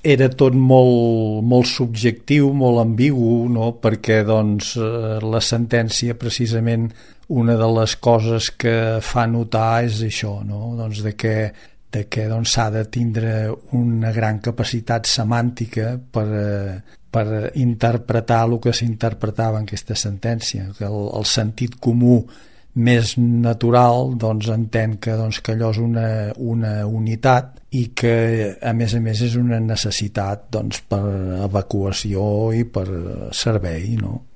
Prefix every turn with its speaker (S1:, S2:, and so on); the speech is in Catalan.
S1: era tot molt, molt subjectiu, molt ambigu, no? Perquè doncs, la sentència precisament una de les coses que fa notar és això, no? Doncs de que doncs, s'ha de tindre una gran capacitat semàntica per interpretar el que s'interpretava en aquesta sentència, que el sentit comú més natural doncs, entén que allò és una unitat i que a més és una necessitat doncs, per evacuació i per servei, no?